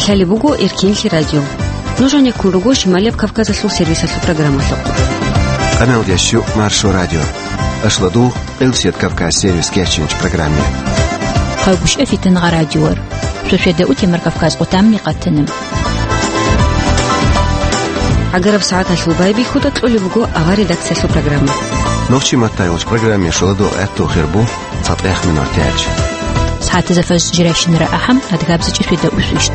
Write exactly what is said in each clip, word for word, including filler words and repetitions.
Лъалеб буго Эркинлъи радио. Нуж гьанеккун руго Шималияб Кавказалъул сервисалъул программалъухъ. Къаналдящу Маршо радио. Ашладу Къилсият Кавказ сервис кечинч программе. Хъалгушев Фитангъа радиор. Шошеда утемар Кавказ къутамни къатана. Агараб сагӀаталъул байбихьуда кьолеб буго авар редакциялъул программа. Нохчи маттайулч программе шоладу гӀатту хирбу. ЦатӀех минутач. СагӀатазда фаз жирайщинара ахӀам, адгабзичӀи шведа усвищ.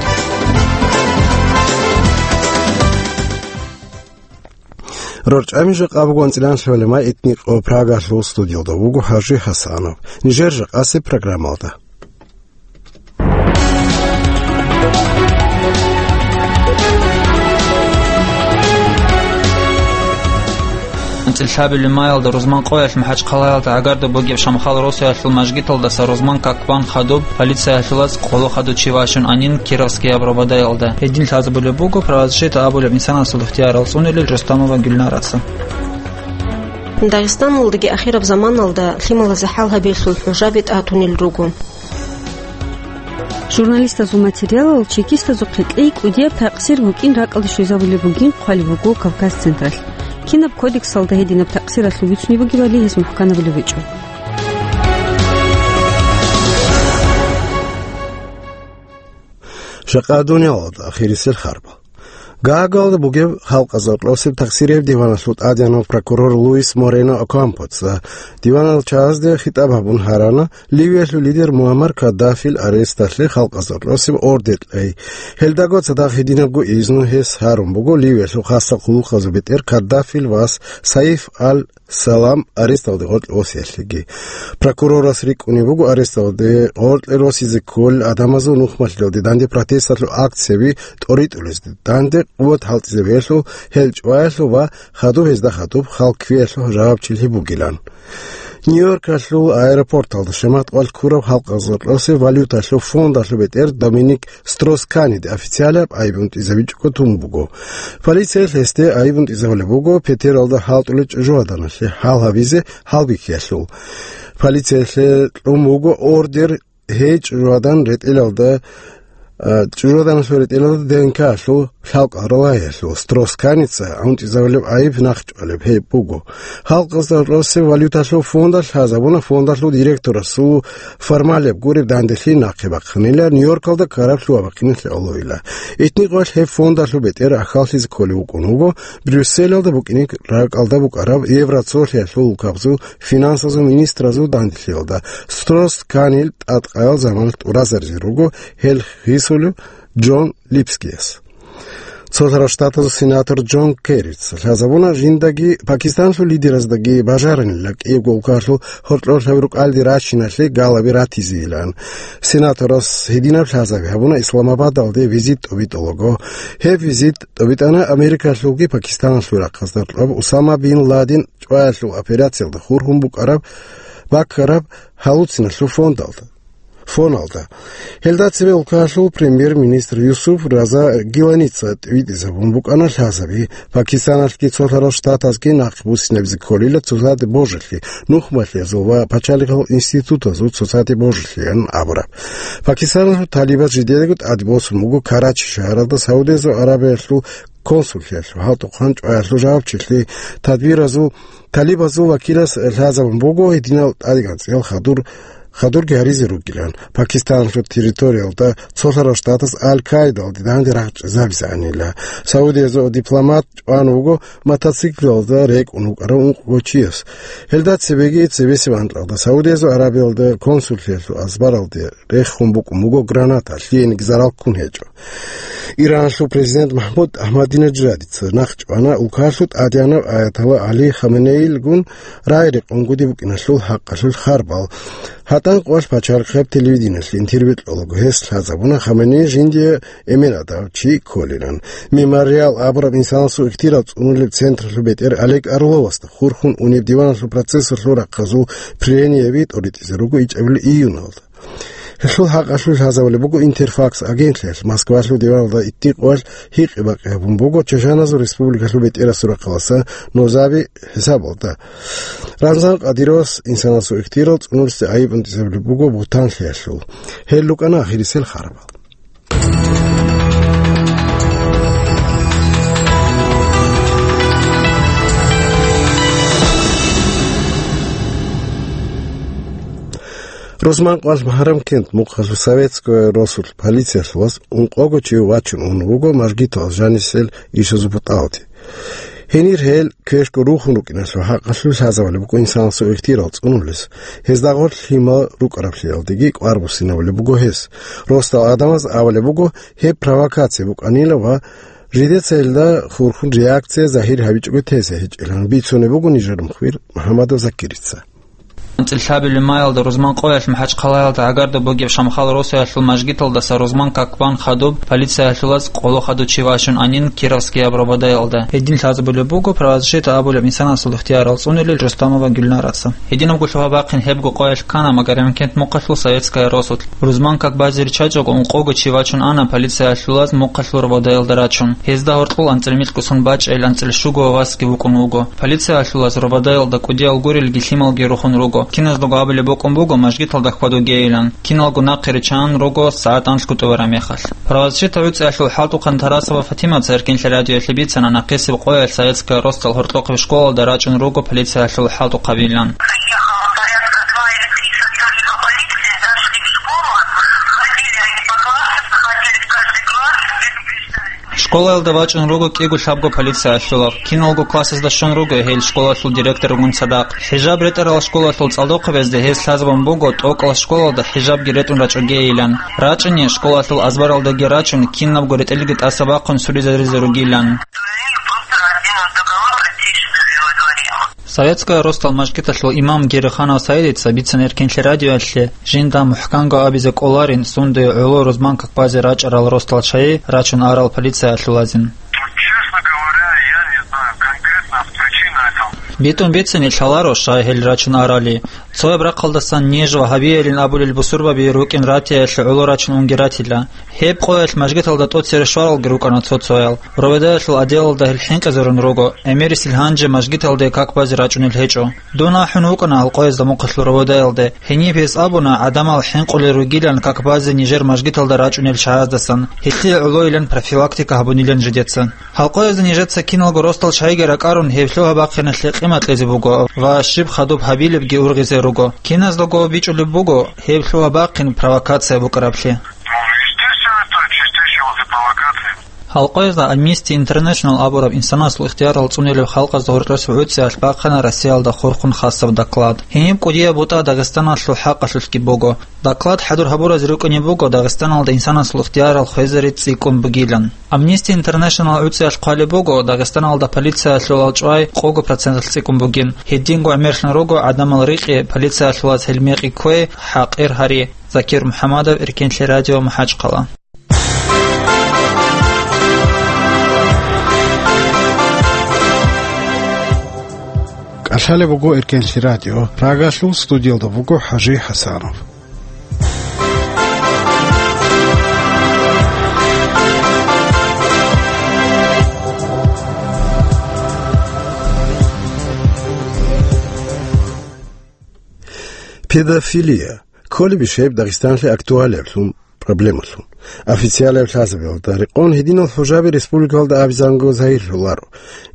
РорчӀами жакъа буго анцӀилан лъолема этник къо Прагалъул студиялда вуго ХӀажи ХӀасанов. Нижер жакъаси программалда. АнцӀил лъабилеб маялда рузман къоялъ МахӀачхъалаялда гӀагарда бугеб Шамхал росиялъул мажгиталдаса рузман какбан хадуб, полициялъулаз къоло хадучи вачун анин Кировскияб Рободаялда. Гьедин лъазабулеб буго правозащита абулеб инсанасул ихтиярал цӀунилел Рустамова Гюльнараса. Дагъистаналдаги ахираб заманалда лъималазе хӀал гьабиялъул хӀужаби тӀатунел руго. Журналистазул материалал чекистазухъе кьей кӀудияб такъсир букӀин ракӀалде щвезабулеб бугин хъвалеб буго Кавказ Централъ. Кинаб кодексалда гьединаб такъсиралъул бицунеб бугебали гьез мухӀканабулеб гьечӀо. Жакъа дуниялалда ахирисел харбал. Гаагалда бугеб халкъазда кьосеб такъсирияб диваналъул тӀадегӀанав прокурор Луис Морено Окампоца диванал чагӀазде хитӀаб гьабун гьарана, Ливиялъул лидер Муаммар Каддафил аресталъе халкъазда кьосеб ордер кьей. Гьелдаго цадахъ гьединабго изну гьес гьарун буго Ливиялъул хасал хъулухъазул бетӀер Каддафил вас Саиф аль Салам аресталде гъоркье восиялъеги. Прокурорас рикӀкӀунеб буго аресталде гъоркье росизе кколел гӀадамазул нухмалъиялде данде протесталъул акцияби тӀоритӀулезде, данде къуват хӀалтӀизе бегьлъул, гьел чӀваялъул ва хадуб гьезда хадуб хал кквеялъул жавабчилъи бугилан. Нью-Йоркалъул аэропорталда шамат къвалъ ккураб халкъазда кьосеб валюталъул фондалъул бетӀер Доминик Строс-Каниде официалияб гӀайиб унтӀизабичӀого тун буго. Полициялъ гьесде гӀайиб унтӀизабулеб буго Петералда хӀалтӀулел чӀужугӀаданалъе хӀал гьабизе хӀалбихьиялъул. Полициялъе кьун буго ордер гьей чӀужугӀадан ретӀелалда, а, чӀужугӀаданалъул ретӀелалда ДНК-лъул лъалкӀал ралаялъул. Строс-Каница унтӀизабулеб гӀайиб нахъчӀвалеб гьеб буго. Халкъазда кьосеб валюталъул фондалъ лъазабуна фондалъул директорасул формалияб гуреб данделъи нахъе бахъинила, Нью-Йоркалда ккараб лъугьа-бахъиналъе гӀолойила. Итни къвалъ гьеб фондалъул бетӀер ахьаллъизе кколев вукӀун вуго, Брюсселалда букӀине ракӀалда букӀараб Евроцолъиялъул улкабазул финансазул министразул данделъиялда. Строс-Канил тӀадкъаял заманалъ тӀуразаризе руго гьел хисулев Джон Липскияс. Цолъарал Штатазул сенатор Джон Керрица лъазабуна жиндаги Пакистанлъул лидераздаги бажаранила кӀиябго улкалъул гьоркьорлъаби рукӀалде рачиналъе галаби ратизейилан. Сенаторас гьединаб лъазаби гьабуна Исламабадалде визит тӀобитӀулаго. Гьеб визит тӀобитӀана Америкалъулги Пакистаналъул рахъазда ркьоб Усама бин Ладен чӀваялъул операциялда хурхун букӀараб, баккараб гьалуциналъул фондалда. Фоналда. Гьелда цебе улкалъул премьер-министр Юсуф Раза Гиланица тӀибитӀизабун букӀана лъазаби. Пакистаналъги Цолъарал Штатазги нахъ буссинабизе кколила цоцазде божилъи, нухмалъиязул ва пачалихъал институтазул цоцазде божилъиян абураб. Пакистаналъул талибаз жидедаго тӀаде босун буго Карачи шагьаралда Саудиязул Аравиялъул консуллъиялъул хӀалтӀухъан чӀваялъул жавабчилъи. Тадбиразул талибазул вакилас лъазабун буго гьединал тӀадегӀанцӀиял хадур, хадурги гьаризе ругилан. Пакистаналъул территориялда Цолъарал Штатас Аль-Каидалде данде рагъчӀезабизанила. Саудиязул дипломат чӀван вуго мотоциклалда рекӀун вукӀарав ункъго чияс. Гьелда цебеги цебесеб анкьалда Саудиязул Аравиялда консуллъиялъул азбаралде рехун букӀун буго граната, лъиениги зарал ккун гьечӀо. Иранлъул президент МахӀмуд Ахмадинежадица нахъ чӀвана улкалъул тӀадегӀанав аятолла ГӀали Хаменеилгун рагӀи-рекъон гуди букӀиналъул хӀакъалъулъ харбал. ГьатӀан къвалъ пачалихъаб телевидениелъ интервью кьолаго гьес лъазабуна Хаменеи жиндие эмен гьадав чи кколилан. Мемориал абураб инсанасул ихтирал цӀунулеб централъул бетӀер Олег Орловасда хурхун унеб диваналъул процессалъул рахъазул прениеби тӀоритӀизе руго ичӀабилеб июналда. Гьелъул хӀакъалъулъ лъазабулеб буго Интерфакс агентлъиялъ. Москвалъул диваналда итни къвалъ гьикъи-бакъи гьабун буго Чачаназул республикалъул бетӀерасул рахъалъа нозаби хӀисабалда. Рамзан Кадыровас инсанасул ихтирал цӀунулъе гӀайиб унтӀизабулеб буго Бутанлъиялъул. Гьел рукӀана ахирисел харабал. Рузманкъоялъ Магьарамкент мухъалъув советская росулъ полициялъулаз ункъого чи вачун ун вуго мажгиталъ жанисел ишазул бутӀалде. Гьенир гьел квешго рухун рукӀиналъул хӀакъалъулъ лъазабулеб буго инсанасул ихтияр цӀунулес, гьезда гъорлъ лъимал рукӀараблъиялдеги кӀвар буссинабулеб буго гьес. Росдал гӀадамаз абулеб буго, гьеб провокация букӀанила ва жидеца гьелда хурхун реакция загьир гьабичӀого тезе гьечӀилан бицунеб буго нижер мухбир МухӀамадов Закирица. АнцӀила лъабилеб маялда Рузманкъоялъ МахӀачхъалаялда гӀагарда бугеб Шамхал росаялъул мажгиталдаса рузман как бан хадуб полициялъулаз къоло хадув чи вачун анин Кировскияб Рободаялда. Гьедин лъазабулеб буго правозащита абулеб инсанасул ихтиярал цӀунилел Рустамова Гюльнараца. Гьединабго лъугьа-бахъин гьебго къоялъ ккана Магарамкент мухъалъул советская росулъ. Рузман как базе риччачӀого ункъого чи вачун ана полициялъулаз мухъалъул Рободаялда рачун. Гьезда гьоркьул анцӀила микьго сон бачӀайил анцӀила щуго васги вукӀун вуго. Полициялъулаз Рободаялда кӀудиял гурелги лъималги рухун руго. Киназдаго абулеб букӀун буго, мажгиталда хьвадугейилан. Киналго нахъе риччан руго, сагӀат анлъго тӀубараб мехалъ. Правозащита гӀуцӀиялъул хӀалтӀухъан Тарасова Фатимаца Эркенлъи радиоялъе бицана нахъисеб къоялъ советская росдал гьоркьохъеб школалда рачӀун руго полициялъул хӀалтӀухъабилан. Приехало порядка два или три сотрудника полиции, зашли в школу, ходили они по классам, заходили в каждый класс и предупреждали. Школаялда вачӀун руго кӀиго-лъабго полициялъулаб. Киналго классазда щун руго гьел школалъул директоргун цадахъ. ХӀижаб ретӀарал школалъул цӀалдохъабазде гьез лъазабун буго, тӀокӀал школалда хӀижабги ретӀун рачӀогейилан. РачӀани, школалъул азбаралдаги рачун, кинабго ретӀелги тӀаса бахъун суризаризе ругилан. Советская росдал мажгиталъул имам Гериханов Саидица бицана Эркенлъи радиоялъе, жинда мухӀканго абизе кӀоларин, сунде гӀоло рузман как базе рачӀарал росдал чагӀи рачун арал полициялъулазин. Честно говоря, я не знаю конкретно причину этого. БитӀун бицани лъаларо щай гьел рачун арали. Цояб рахъалдасан ниж вагьабиялин абулел бусурбаби рукӀин ратиялъе гӀоло рачун унги ратила. Гьеб къоялъ мажгиталда тӀоцере щваралги рукӀана цо-цоял. Рободаялъул отделалда гьел хӀинкъизарун руго, гӀемерисел гьанже мажгиталде как базе рачӀунел гьечӀо. Дун ахӀун вукӀана гьал къоязда мухъалъул Рободаялде. Гьениб гьес абуна, гӀадамал хӀинкъулел ругилан как базе нижер мажгиталда рачӀунел чагӀаздасан, гьелъие гӀолойилан профилактика гьабунилан жидеца. Гьал къоязда нижеца киналго росдал чагӀиги ракӀарун, гьеб лъугьа-бахъиналъе къимат кьезе буго ва щиб хадуб гьабилебги ургъизе руго. Киназдаго бичӀчӀулеб буго гьеб лъугьа-бахъин провокация букӀараблъи. Ну, естественно, это чистейшая провокация. Гьал къоязда Amnesty International абураб инсанасул ихтиярал цӀунилеб халкъазда гьоркьосеб гӀуцӀиялъ бахъана Россиялда хурхун хасаб доклад. Гьениб кӀудияб бутӀа Дагъистаналъул хӀакъалъулъги буго. Доклад хӀадур гьабуразе рукӀине буго Дагъистаналда инсанасул ихтиярал хвезари цӀикӀкӀун бугилан. Amnesty International гӀуцӀиялъ хъвалеб буго, Дагъистаналда полициялъулал чӀвай къого проценталъ цӀикӀкӀун бугин. Гьединго гӀемерлъун руго гӀадамал рикьи, полициялъулаз гьел мекъи кквей, хӀакъир гьари. Закир МухӀамадов, Эркенлъи радио, МахӀачхъала. КӀалъалеб буго Эркенлъи радио, Прагалъул студиялда буго ХӀажи ХӀасанов. Педофилия кколебищ гьеб Дагъистанлъи актуалиблъун проблемалъун? Официалаб лъазабиялда рекъон гьединал хӀужаби республикалда абизанго загьирлъуларо.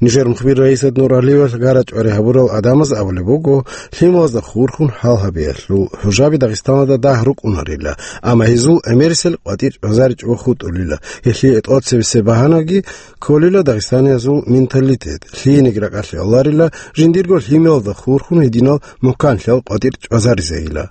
Нижер мухбир Раисат Нуралиевалъ гара-чӀвари гьабурал гӀадамаз абулеб буго, лъималазда хурхун гьал гьабиялъул хӀужаби Дагъистаналда дагь рукӀунарила, амма гьезул гӀемерисел къватӀир чӀвазаричӀого хутӀулила, гьелъие тӀоцебесеб багьанаги кколила дагъистаниязул менталитет, лъиениги ракӀалъе аларила, жиндирго лъималазда хурхун гьединал мухӀканлъиял къватӀир чӀвазаризейила.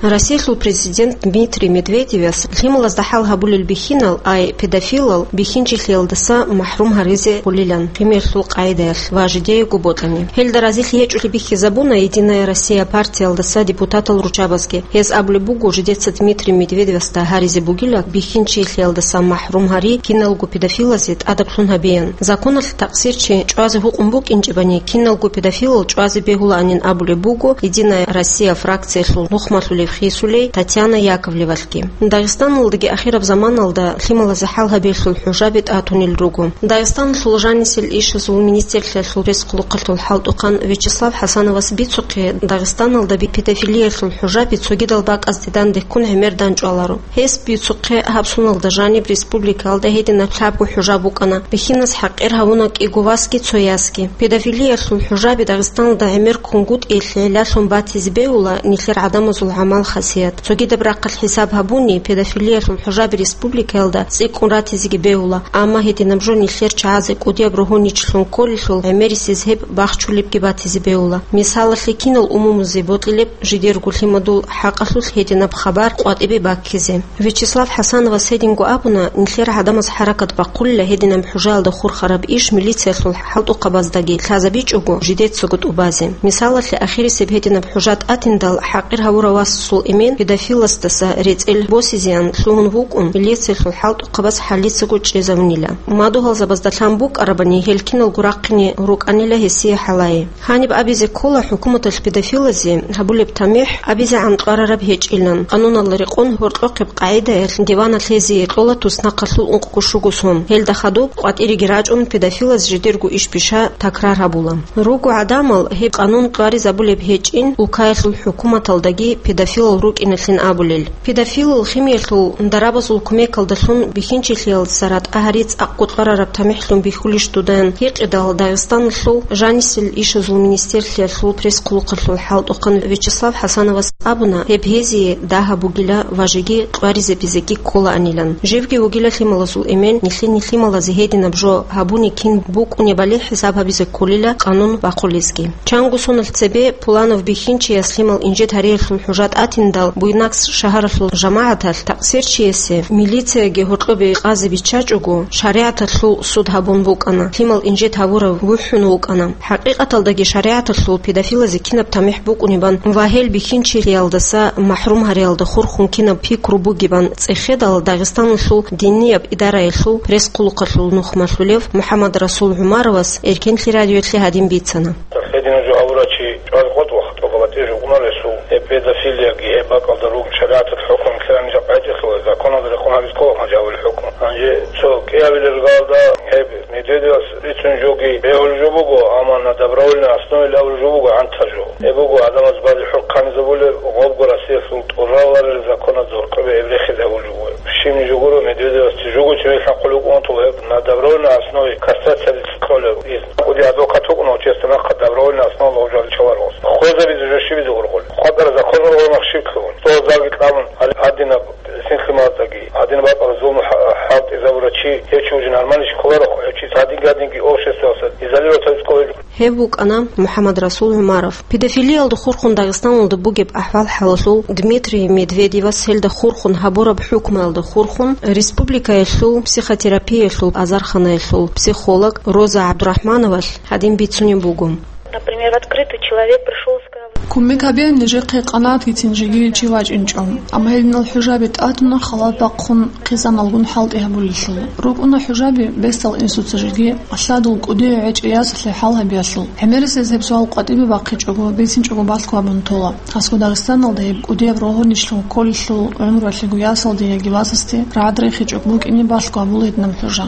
Россиялъул президент Дмитрий Медведевас лъималазда хӀал гьабулел бихьинал, ай педофилал бихьинчилъиялдаса махӀрум гьаризе гьулилан химиялъул къагӀидаялъ ва жидеего бокьани. Гьелда разилъи гьечӀолъи бихьизабуна «Единая Россия» партиялдаса депутатал руччабазги. Гьез абулеб буго, жидеца Дмитрий Медведевасда гьаризе бугила бихьинчилъиялдаса махӀрум гьари киналго педофилазе тӀадаблъун гьабеян. Законалъ такъсирчи чӀвазе гьукъун букӀинчӀебани, киналго педофилал чӀвазе бегьулаанин абулеб буго «Единая Россия» фракциялъул нухмалъулев хисулей Татьяна Яковлевалъги. Дагъистаналдаги ахираб заманалда лъималазе хӀал гьабиялъул хӀужаби тӀатунел руго. Дагъистаналъул жанисел ишазул министрлъиялъул пресс-хъулухъалъул хӀалтӀухъан Вячеслав ХӀасановас бицухъе, Дагъистаналда би-, педофилиялъул хӀужаби цогидал бакӀазде дандеккун гӀемер данчӀваларо. Гьес бицухъе, гьаб соналда жаниб республикаялда гьединаб лъабго хӀужаб букӀана, бихьинас хӀакъир гьавуна кӀиго васги цо ясги. Педофилиялъул хӀужаби Дагъистаналда гӀемер кунгутӀиялъе гӀиллалъун батизе бегьула нилъер гӀадамазул гӀамал-хасият. Цогидаб рахъалъ хӀисаб гьабуни, педофилиялъул хӀужаби республикаялда цӀикӀкӀун ратизеги бегьула, амма гьединаб жо нилъер чагӀазе кӀудияб рогьуничилъун кколелъул гӀемерисез гьеб бахчулебги батизе бегьула. Мисалалъе, кинал умумузе бокьилеб жидерго лъимадул хӀакъалъулъ гьединаб хабар къватӀибе баккизе. Вячеслав ХӀасановас гьединго абуна, нилъер гӀадамаз хӀаракат бахъулила гьединаб хӀужаялда хурхараб иш милициялъул хӀалтӀухъабаздаги лъазабичӀого жидецаго тӀубазе. Мисалалъе, ахирисеб гьединаб хӀужа тӀатиндал хӀакъир гьавурав васасул эмен педофиласдаса рецӀел босизеян лъугьун вукӀун, милициялъул хӀалтӀухъабаз хӀалицаго чӀезавунила. Мадугьалзабазда лъан букӀарабани, гьел киналго рахъине рукӀанила гьесие хӀалае. Гьаниб абизе ккола хӀукуматалъ педофилазе гьабулеб тамихӀ абизегӀан кьварараб гьечӀилан. Къануналда рекъон гьоркьохъеб къагӀидаялъ диваналъ гьезие кьола туснахъалъул ункъго-щуго сон. Гьелда хадуб къватӀиреги рачӀун, педофилаз жидерго иш-биша такрар гьабула. Руго гӀадамал гьеб къанун кьваризабулеб гьечӀин, улкаялъул хӀукуматалдаги педофилал рукӀиналъин абулел. Педофилал химиялъул дарабазул кумекалдалъун бихьинчилъиялдаса ратӀа гьари цӀакъго кьварараб тамихӀлъун бихьулищ дудаян гьикъидал, Дагъистаналъул жанисел ишазул министрлъиялъул пресс-хъулухъалъул хӀалтӀухъан Вячеслав ХӀасановас абуна, гьеб гьезие дагьаб бугила ва жеги кьваризабизеги кколаанилан. Живги вугила лъималазул эмен, нилъеде лъималазе гьединаб жо гьабуни кин букӀунебали хӀисаб гьабизе кколила къанун бахъулезги. Чанго соналъ цебе Пуланов бихьинчияс лъимал инжит гьариялъул хӀужа тӀатиндал Буйнакск шагьаралъул жамагӀаталъ такъсирчиясе милицияги гьоркьобе къазе биччачӀого, шаригӀаталъул суд гьабун букӀана, лъимал инжит гьавурав вухӀун вукӀана. ХӀакъикъаталдаги шаригӀаталъул педофилазе кинаб тамихӀ букӀунебан ва гьел бихьинчилъиялдаса махӀрум гьариялда хурхун кинаб пикру бугебан цӀехедал, Дагъистаналъул динияб идараялъул пресс-хъулухъалъул нухмалъулев МухӀаммадрасул ГӀумаровас Эркенлъи радиоялъе гьадин бицана. Гьединаб жо гьабурав чи чӀвазе къотӀ ва хатӀо гьабатӀи жо унаресул, гьеб педофилияги гьеб бакӀалда ругел шаригӀаталъ хӀукму ккелани жакъа гьечӀелъул, законалда рекъон гьабизе ккола гьанже гьавулел хӀукму. Гьанже цо кӀиабилеб галда гьеб Медведевас бицун жоги бегьулеб жо буго, амма на добровольной основе лъабулеб жо буго гӀантал жо. Гьеб буго гӀадамаз базе хӀукму кканизабулеб, гъобго Россиялъул тӀураларел законазда гьоркьобе гьеб рехизе гьабулеб жо буго. Щиб жо гуро Медведевасде жого чевел хӀакъулев вукӀун ватула гьеб, на добровольной основе кастрация дица кколеб из. КӀуди адвокат вукӀуна, честно, нахъа добровольной основа гъов жо гьабичӀого вуго. Хвезабизе жо щибизе ургъулеб? Хватара закон ургъун мах щиб лъугьун. Цо залги кьабун, гьале гьадинаб синлъималаздаги, гьадинаб бакӀалда зулму хӀа-, хӀалтӀизабурав чи, гьев чи уже нормальный кколаро, гьев чи гьадин-гьадинги обществоялдаса изолировать гьабизе кколеб. Гьев вукӀана МухӀаммадрасул ГӀумаров. Педофилиялда хурхун Дагъистаналда бугеб ахӀвал-хӀалалъул, Дмитрий Медведевас гьелда хурхун гьабураб хӀукмуялда хурхун, республикаялъул психотерапиялъул азарханаялъул психолог Роза ГӀабдурахӀмановалъ гьадин бицунеб буго. Например, в открытый человек пришёл и сказал: Кумек гьабе, нижехъе къанагӀатгицин жеги чи вачӀинчӀо. Амма гьединал хӀужаби тӀатуна халат бахъун хъизаналгун хӀалтӀи гьабулелъул. РукӀуна хӀужаби бесдал инсуца жеги, лъадул кӀудияв гӀечӀеб ясалъе хӀал гьабиялъул. ГӀемерисез гьеб суал къватӀибе бахъичӀого, бицинчӀого балъго гьабун тола. Гьасго Дагъистаналда гьеб кӀудияб рогьуничилъун кколелъул гӀумруялъего ясалде яги васасде рагӀад рехичӀого букӀине балъго гьабула гьединаб хӀужа.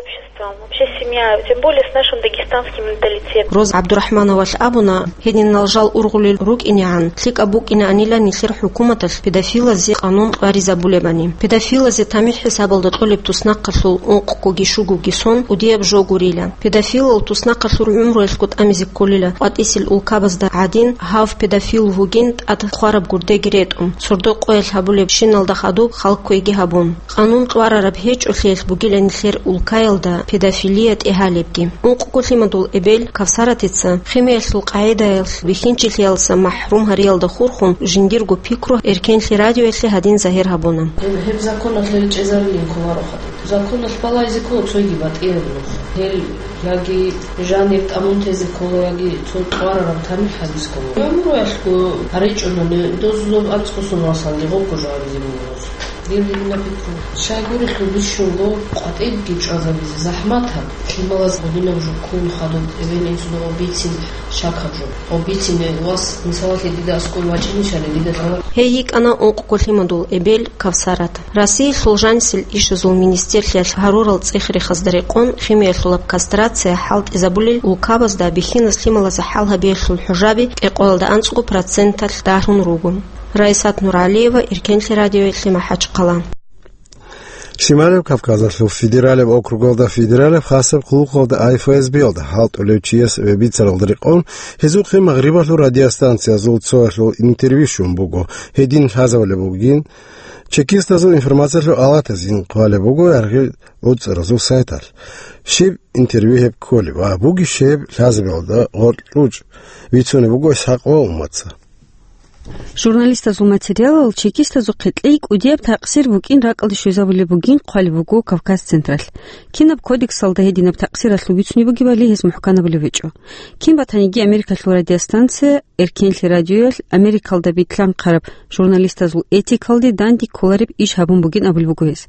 Обществом, вообще семья, тем более с нашим дагестанским менталитетом. Роза ГӀабдурахӀмановалъ абуна, гьединал жал ургъулел рукӀинегӀан, лъикӀаб букӀинаанила нилъер хӀукуматалъ педофилазе къанун кьваризабулебани. Педофилазе тамихӀ хӀисабалда кьолеб туснахъалъул ункъгоги щугоги сон кӀудияб жо гурила. Педофилал туснахъалъур гӀумруялъго тӀамизе кколила къватӀисел улкабазда гӀадин, гьав педофил вугин тӀад хъвараб гурдеги ретӀун, сордо къоялъ гьабулебщиналда хадуб хал кквеги гьабун. Къанун кьварараб гьечӀолъиялъ бугила нилъер улкаялда педофилия тӀегьалебги. Ункъго лъимадул эбел Кавсаратица химиялъул къагӀидаялъ бихьинчилъиялдаса махӀрум гьариялда хурхун жиндирго пикру Эркенлъи радиоялъе гьадин загьир гьабуна. Гьеб, гьеб законалъ гьел чӀезарилин кколаро хадуб. Законалъ балайзе ккола цойги батӀияб нух. Гьел яги жанир тӀамун тезе ккола, яги цо кьварараб тамихӀ гьабизе ккола. ГӀумруялъго гьаричӀунани дозулаб анцӀго сон васалде гъобго жо гьабизе буго. Дир динаб пикру. Щайгурелъул бищунго къватӀибги чӀвазабизе захӀматаб, лъималаз гъодинаб жо ккун хадуб эбел-инсуда гъоб бицин щакаб жо. Гъоб бицине вас, мисалалъе, дида аскӀор вачӀинищали, дида лъала. Гьей йикӀана ункъго лъимадул эбел Кавсарат. Россиялъул жанисел ишазул министрлъиялъ гьарурал цӀех-рехазда рекъон химиялъулаб кастрация хӀалтӀизабулел улкабазда бихьиназ лъималазда хӀал гьабиялъул хӀужаби кӀикъоялда анцӀго проценталъ дагьрун руго. Раисат Нуралиева, Эркенлъи радиоялъе, МахӀачхъала. Шималев Кавказалъул федералияб округалда федералияб хасаб хъулухъалда АФСБ-ялда хӀалтӀулев чияс бицаралда рекъон, гьезухъе Магърибалъул радиостанциязул цоялъул интервью щун буго. Гьедин лъазабулеб бугин, чекистазул информациялъул алатазин хъвалеб буго яргъи гӀуцӀаразул сайталъ. Щиб интервью гьеб кколеб ва бугищ гьеб лъазабиялда гъоркьчӀ бицунеб буго ИсхӀакъ ва Умаца. Журналистазул материалал чекистазухъе кьей кӀудияб такъсир букӀин ракӀалде щвезабулеб бугин хъвалеб буго Кавказ Централъ. Кинаб кодексалда гьединаб такъсиралъул бицунеб бугебали гьез мухӀканабулев гьечӀо. Кин батаниги Америкалъул радиостанция, Эркенлъи радиоялъ Америкалда битлъанхъараб журналистазул этикалде данде кколареб иш гьабун бугин абулеб буго гьез.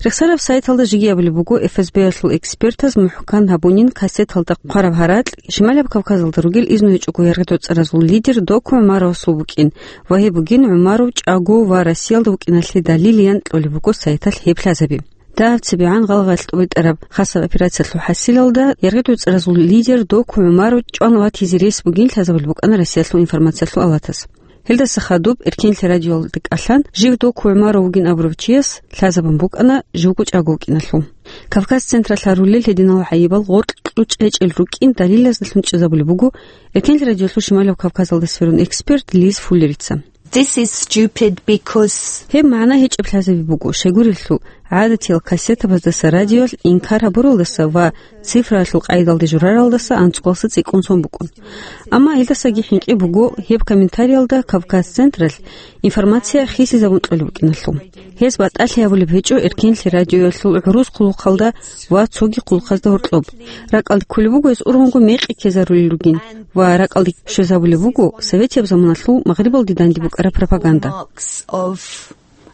Рехсараб сайталда жеги абулеб буго ФСБ-ялъул экспертаз мухӀкан гьабунин кассеталда хъвараб гьаракь, Шималаб Кавказалда ругел изну гьечӀого яргъи доцӀаразул лидер Доку ГӀумаровасул букӀин ва гьеб бугин ГӀумаров чӀаго ва Россиялда вукӀиналъе далилиян кьолеб буго сайталъ гьеб лъазаби. Дагьаб цебегӀан гъалгъаялъ тӀубитӀараб хасаб операциялъул хӀасилалда яргъи доцӀаразул лидер Доку ГӀумаров чӀван ватизе рес бугин лъазабулеб букӀана Россиялъул информациялъул алатас. Гьелдаса хадуб Эркенлъи радиоялда кӀалъан жив Доку ГӀумаров вугин абурав чияс лъазабун букӀана живго чӀаго вукӀиналъул. Кавказ Централъ гьарулел гьединал гӀайибал гъоркь кьучӀ гьечӀел рукӀин далилаздалъун чӀезабулеб буго Эркенлъи радиоялъул Шималаб Кавказалда сверун эксперт Лиз Фуллерица. This is stupid because Гьеб магӀна гьечӀеб лъазаби буго, щайгурелъул гӀадатиял кассетабаздаса радиоялъ инкар гьабуралдаса ва цифраялъул къайдалде жураралдаса анцӀгоялса цӀикӀкӀун сон букӀун. Амма гьелдасаги хӀинкъи буго гьеб комментариялда Кавказ Централъ информация хисизабун кьолеб букӀиналъул. Гьез батӀалъи гьабулеб гьечӀо Эркенлъи радиоялъул гӀурус хъулухъалда ва цоги хъулухъазда гьоркьоб. РакӀалде кколеб буго гьез ургъунго мекъи ккезарулел ругин ва ракӀалде щвезабулеб буго советияб заманалъул Магърибалде данде букӀараб пропаганда. Marks of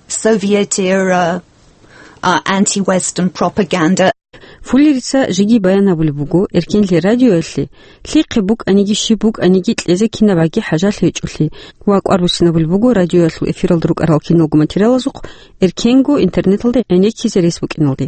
Soviet era, uh, anti-Western propaganda. Фуллерица жеги баян гьабулеб буго, Эркенлъи радиоялъе лъихъе букӀаниги щиб букӀаниги кьезе кинабгӀаги хӀажалъи гьечӀолъи ва кӀвар буссинабулеб буго радиоялъул эфиралда рукӀарал киналго материалазухъ эркенго интернеталде гӀенеккизе рес букӀиналде.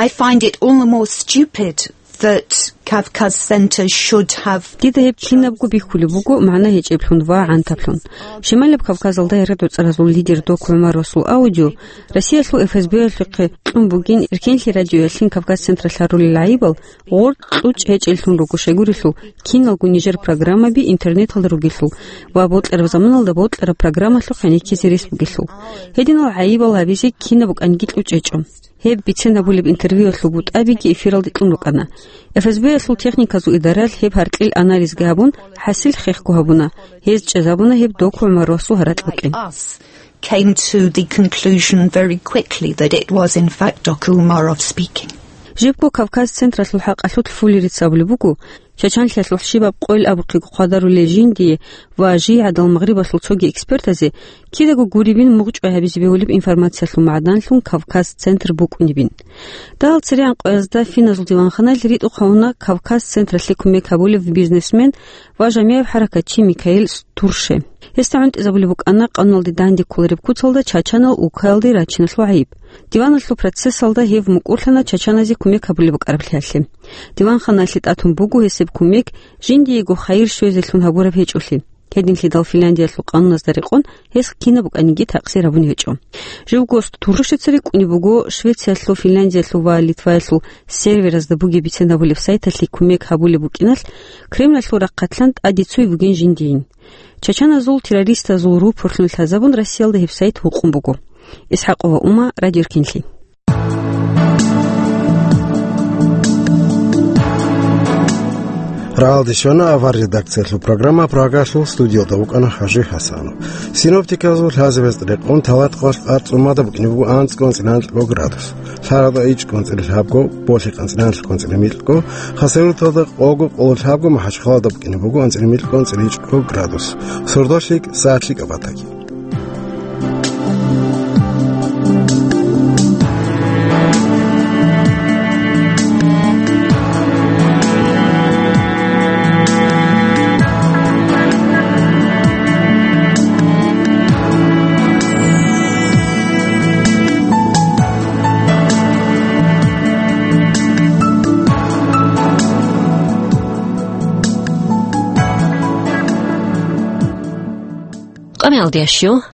I find it all the more stupid that Kavkaz Center should have Дида гьеб кинабго бихьулеб буго магӀна гьечӀеблъун ва гӀантаблъун. Шималаб Кавказалда яргъи доцӀаразул лидер Доку ГӀумаровасул аудио Россиялъул ФСБ-ялъухъе кьун бугин Эркенлъи радиоялъин Кавказ Централъ гьарулел гӀайибал гъоркь кьучӀ гьечӀеллъун руго, щайгурелъул киналго нижер программаби интернеталда ругелъул ва бокьараб заманалда бокьараб программалъухъ гӀенеккизе рес бугелъул. Гьединал гӀайибал гьабизе кинаб букӀаниги кьучӀ гьечӀо. Гьеб бицен гьабулеб интервьюялъул бутӀабиги эфиралде кьун рукӀана. ФСБ-ялъул техниказул идаралъ гьеб гьаркьил анализги гьабун, хӀасил хехго гьабуна, гьез чӀезабуна гьеб Доку ГӀумаровасул гьаракь букӀин. Us came to the conclusion very quickly that it was in fact Doku Umarov speaking. Жибго Кавказ Централъул хӀакъалъулъ Фуллерица абулеб буго, Чачанлъиялъухъ щибаб къойил абухъего хъвадарулел жиндие ва жий гӀадал Магърибалъул цоги экспертазе кидаго гуребин мугъчӀвай гьабизе бегьулеб информациялъул магӀданлъун Кавказ Центр букӀунебин. Дагьал церегӀан къоязда финазул диванханалъ ритӀухъ гьавуна Кавказ Централъе кумек гьабулев бизнесмен ва жамигӀаб хӀаракатчи Микаил Турше. Гьесда гӀунтӀизабулеб букӀана къануналде данде кколареб куцалда чачанал улкаялде рачиналъул гӀайиб. Диваналъул процессалда гьев мукӀурлъана чачаназе кумек гьабулеб букӀараблъиялъе. Диванханалъе тӀатун буго гьесеб кумек жиндиего хайир щвезелъун гьабураб гьечӀолъи. Гьединлъидал Финляндиялъул къануназда рекъон гьес кинаб букӀаниги такъсир гьабун гьечӀо. Живго Туршица рикӀкӀунеб буго Швециялъул, Финляндиялъул ва Литваялъул серверазда бугеб бицен гьабулеб сайталъе кумек гьабулеб букӀиналъ, Кремлалъул рахъалъан тӀаде цуй бугин жиндиин. Чачаназул террористазул рупорлъун лъазабун Россиялда гьеб сайт гьукъун буго. ИсхӀакъова Ума, Радио Эркенлъи. Рагьалде щвана авар редакциялъул программа, Прагалъул студиялда вукӀана Хажи Хасанов. Синоптиказул лъазабазда рекъон талатгъалъ къарцӀумада букӀине буго анцӀго-анцӀила гьанкьго градус. Лъаралда ичӀго-анцӀила лъабго, болъи къанцӀила гьанкьго-анцӀила микьго, Хасавюрталда къого-къоло лъабго, МахӀачхъалада букӀине буго анцӀила микьго-анцӀила ичӀго градус. Сордолъи сагӀатлъи кӀабатаги. Мелдящу,